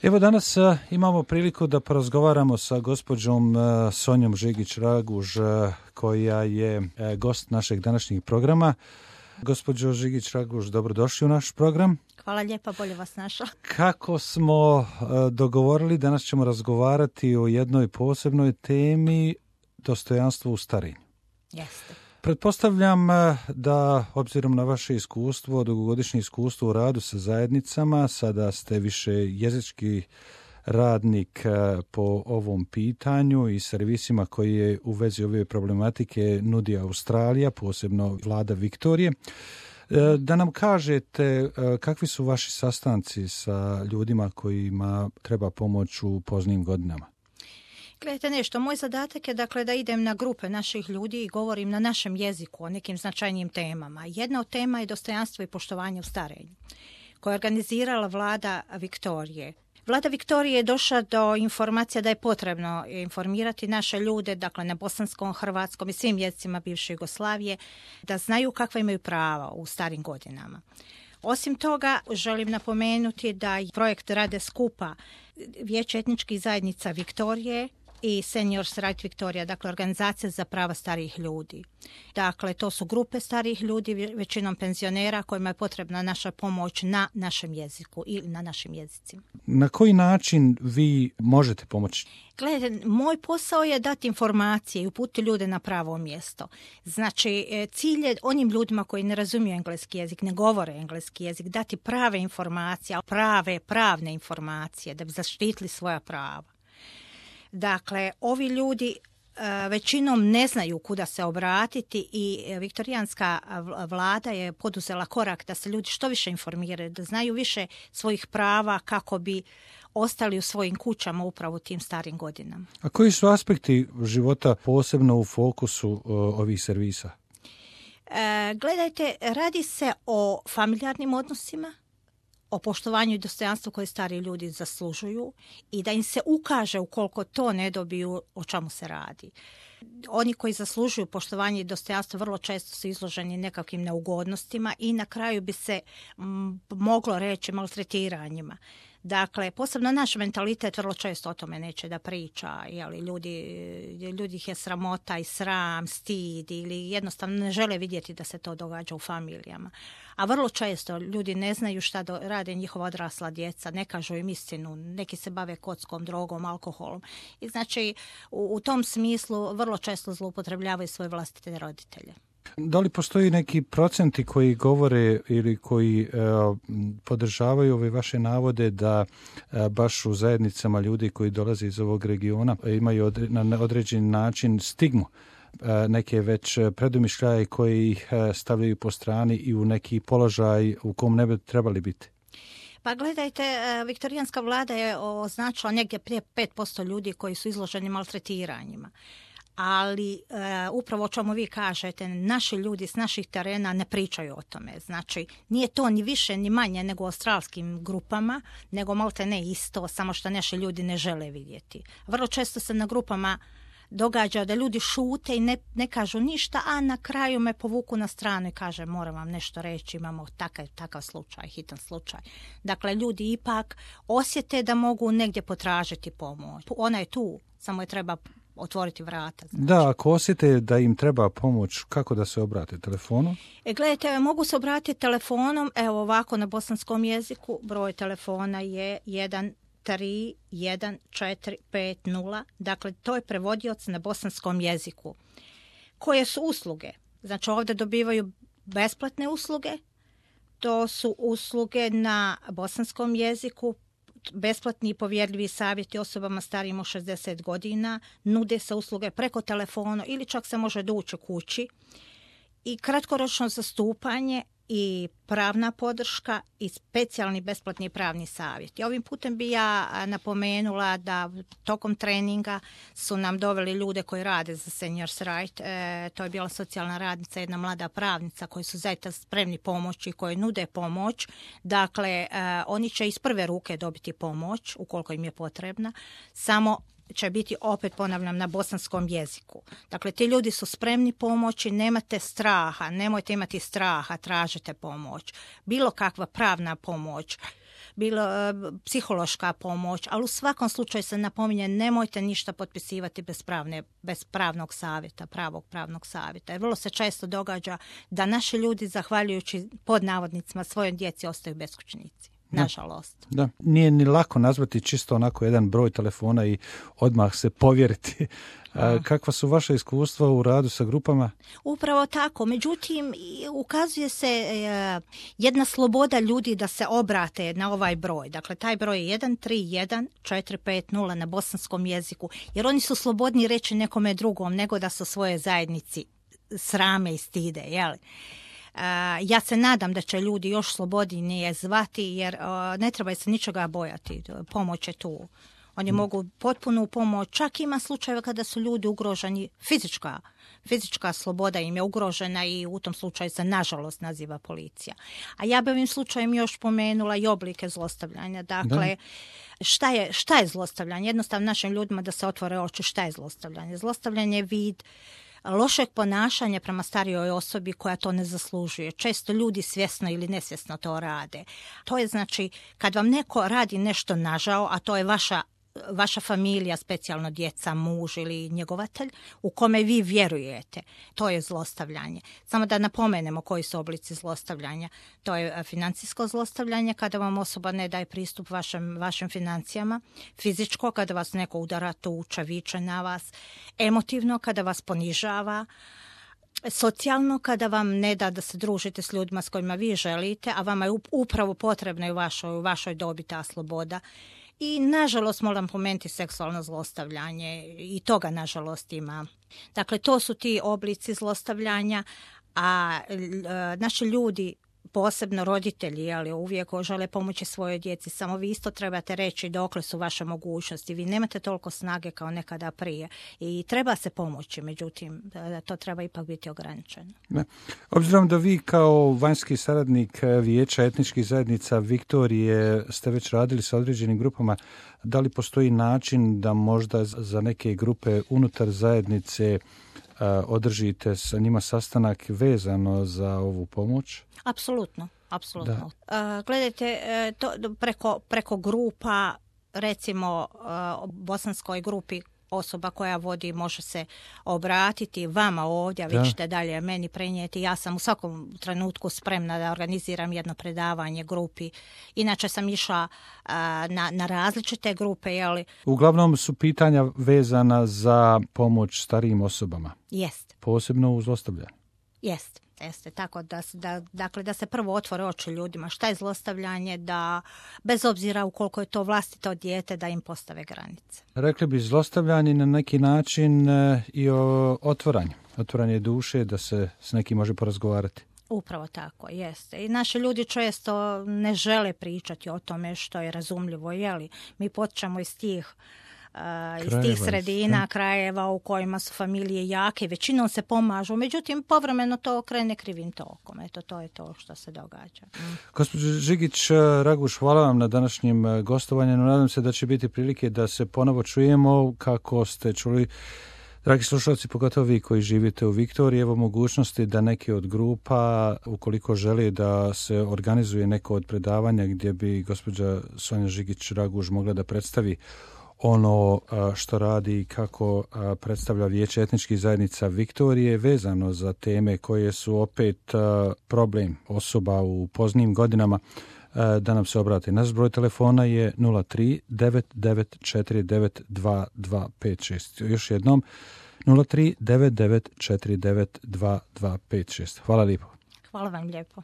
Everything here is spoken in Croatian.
Evo danas imamo priliku da porazgovaramo sa gospođom Sonjom Žigić-Raguž, koja je gost našeg današnjeg programa. Gospođo Žigić-Raguž, dobrodošli u naš program. Hvala lijepa, bolje vas našla. Kako smo dogovorili, danas ćemo razgovarati o jednoj posebnoj temi, dostojanstvo u starenju. Jeste. Pretpostavljam da, obzirom na vaše iskustvo, dugogodišnje iskustvo u radu sa zajednicama, sada ste više jezički radnik po ovom pitanju i servisima koji je u vezi ove problematike nudi Australija, posebno vlada Viktorije. Da nam kažete kakvi su vaši sastanci sa ljudima kojima treba pomoć u poznijim godinama? Gledajte nešto, moj zadatak je dakle da idem na grupe naših ljudi i govorim na našem jeziku o nekim značajnijim temama. Jedna od tema je dostojanstvo i poštovanje u starenju, koja je organizirala vlada Viktorije. Vlada Viktorije je došla do informacija da je potrebno informirati naše ljude, dakle na bosanskom, hrvatskom i svim jezicima bivše Jugoslavije, da znaju kakva imaju prava u starim godinama. Osim toga, želim napomenuti da projekt rade skupa Vijeće etničkih zajednica Viktorije i Seniors Right Victoria, dakle organizacija za prava starijih ljudi. Dakle, to su grupe starijih ljudi, većinom penzionera, kojima je potrebna naša pomoć na našem jeziku ili na našim jezicima. Na koji način vi možete pomoći? Gledajte, moj posao je dati informacije i uputiti ljude na pravo mjesto. Znači, cilj je onim ljudima koji ne razumiju engleski jezik, ne govore engleski jezik, dati prave informacije, pravne informacije da bi zaštitili svoja prava. Dakle, ovi ljudi većinom ne znaju kuda se obratiti i viktorijanska vlada je poduzela korak da se ljudi što više informiraju, da znaju više svojih prava kako bi ostali u svojim kućama upravo u tim starim godinama. A koji su aspekti života posebno u fokusu ovih servisa? Gledajte, radi se o familijarnim odnosima, o poštovanju i dostojanstvu koje stari ljudi zaslužuju i da im se ukaže ukoliko to ne dobiju o čemu se radi. Oni koji zaslužuju poštovanje i dostojanstvo vrlo često su izloženi nekakvim neugodnostima i na kraju bi se moglo reći maltretiranjima. Dakle, posebno naš mentalitet vrlo često o tome neće da priča, ljudi ih je sramota i sram, stid ili jednostavno ne žele vidjeti da se to događa u familijama. A vrlo često ljudi ne znaju šta rade njihova odrasla djeca, ne kažu im istinu, neki se bave kockom, drogom, alkoholom. I znači u tom smislu vrlo često zloupotrebljavaju svoje vlastite roditelje. Da li postoji neki procenti koji govore ili koji podržavaju ove vaše navode da baš u zajednicama ljudi koji dolaze iz ovog regiona imaju na određeni način stigmu, neke već predumišljaje koji ih stavljaju po strani i u neki položaj u kom ne bi trebali biti? Pa gledajte, viktorijanska vlada je označila negdje prije 5% ljudi koji su izloženi maltretiranjima. Ali upravo o čemu vi kažete, naši ljudi s naših terena ne pričaju o tome. Znači, nije to ni više ni manje nego u australskim grupama, nego malte ne isto, samo što naši ljudi ne žele vidjeti. Vrlo često se na grupama događa da ljudi šute i ne kažu ništa, a na kraju me povuku na stranu i kaže moram vam nešto reći, imamo takav slučaj, hitan slučaj. Dakle, ljudi ipak osjete da mogu negdje potražiti pomoć. Ona je tu, samo je treba otvoriti vrata. Znači. Da, ako osjete da im treba pomoć, kako da se obrate? Telefonom? Gledajte, mogu se obratiti telefonom, evo ovako na bosanskom jeziku, broj telefona je 131450, dakle to je prevodioc na bosanskom jeziku. Koje su usluge? Znači ovdje dobivaju besplatne usluge, to su usluge na bosanskom jeziku, besplatni i povjerljivi savjeti osobama starijim od 60 godina, nude se usluge preko telefona ili čak se može doći kući i kratkoročno zastupanje i pravna podrška i specijalni besplatni pravni savjet. I ovim putem bi ja napomenula da tokom treninga su nam doveli ljude koji rade za Seniors Right. To je bila socijalna radnica, jedna mlada pravnica koji su zaista spremni pomoći, koji nude pomoć. Dakle, oni će iz prve ruke dobiti pomoć ukoliko im je potrebna. Samo će biti, opet ponavljam, na bosanskom jeziku. Dakle, ti ljudi su spremni pomoći, nemate straha, nemojte imati straha, tražite pomoć. Bilo kakva pravna pomoć, bilo psihološka pomoć, ali u svakom slučaju se napominje nemojte ništa potpisivati bez pravnog savjeta, pravog pravnog savjeta. Jer vrlo se često događa da naši ljudi, zahvaljujući pod navodnicima svojoj djeci, ostaju beskućnici. Nažalost. Da, nije ni lako nazvati čisto onako jedan broj telefona i odmah se povjeriti. Kakva su vaša iskustva u radu sa grupama? Upravo tako. Međutim, ukazuje se jedna sloboda ljudi da se obrate na ovaj broj. Dakle, taj broj je 131-450 na bosanskom jeziku. Jer oni su slobodni reći nekome drugom nego da su svoje zajednici srame i stide, jel? Ja se nadam da će ljudi još slobodnije zvati jer ne treba se ničega bojati. Pomoć je tu. Oni mogu potpunu pomoć. Čak ima slučajeva kada su ljudi ugroženi, fizička sloboda im je ugrožena i u tom slučaju se nažalost naziva policija. A ja bi ovim slučajem još pomenula i oblike zlostavljanja. Dakle, šta je zlostavljanje? Jednostavno našim ljudima da se otvore oči šta je zlostavljanje. Zlostavljanje je vid lošeg ponašanja prema starijoj osobi koja to ne zaslužuje. Često ljudi svjesno ili nesvjesno to rade. To je znači kad vam neko radi nešto nažao, a to je vaša familija, specijalno djeca, muž ili njegovatelj, u kome vi vjerujete. To je zlostavljanje. Samo da napomenemo koji su oblici zlostavljanja. To je financijsko zlostavljanje, kada vam osoba ne daje pristup vašim financijama. Fizičko, kada vas neko udara, tuče, viče na vas. Emotivno, kada vas ponižava. Socijalno, kada vam ne da da se družite s ljudima s kojima vi želite, a vama je upravo potrebna i u vašoj dobi ta sloboda. I nažalost moram pomenuti seksualno zlostavljanje i toga nažalost ima. Dakle, to su ti oblici zlostavljanja, a naši ljudi, posebno roditelji, ali uvijek žele pomoći svojoj djeci, samo vi isto trebate reći dokle su vaše mogućnosti. Vi nemate toliko snage kao nekada prije i treba se pomoći, međutim, to treba ipak biti ograničeno. Ne. Obzirom da vi kao vanjski saradnik Vijeća etničkih zajednica Viktorije ste već radili sa određenim grupama, da li postoji način da možda za neke grupe unutar zajednice održite sa njima sastanak vezano za ovu pomoć? Apsolutno. Gledajte, to preko grupa, recimo bosanskoj grupi osoba koja vodi može se obratiti vama ovdje, a vi ćete dalje meni prenijeti. Ja sam u svakom trenutku spremna da organiziram jedno predavanje grupi. Inače sam išla na različite grupe. Jeli? Uglavnom su pitanja vezana za pomoć starijim osobama. Jest. Posebno u zlostavljanju. Jeste, tako da se prvo otvore oči ljudima šta je zlostavljanje, da bez obzira ukoliko je to vlastito dijete da im postave granice. Rekli bi zlostavljanje na neki način i o otvaranje duše, da se s nekim može porazgovarati. Upravo tako, jeste. I naši ljudi često ne žele pričati o tome što je razumljivo, jeli? Mi potičemo iz tih sredina, krajeva u kojima su familije jake, većinom se pomažu, međutim povremeno to krene krivim tokom. Eto, to je to što se događa. Gospođo Žigić Raguš, hvala vam na današnjem gostovanju. Nadam se da će biti prilike da se ponovo čujemo. Kako ste čuli, dragi slušalci, pogotovo vi koji živite u Viktoriji, evo mogućnosti da neke od grupa, ukoliko želi da se organizuje neko od predavanja gdje bi gospođa Sonja Žigić Raguš mogla da predstavi ono što radi i kako predstavlja Vijeće etničkih zajednica Viktorije vezano za teme koje su opet problem osoba u poznijim godinama, da nam se obrati. Naš broj telefona je 03 9949 2256. Još jednom 03 9949 2256. Hvala lijepo. Hvala vam lijepo.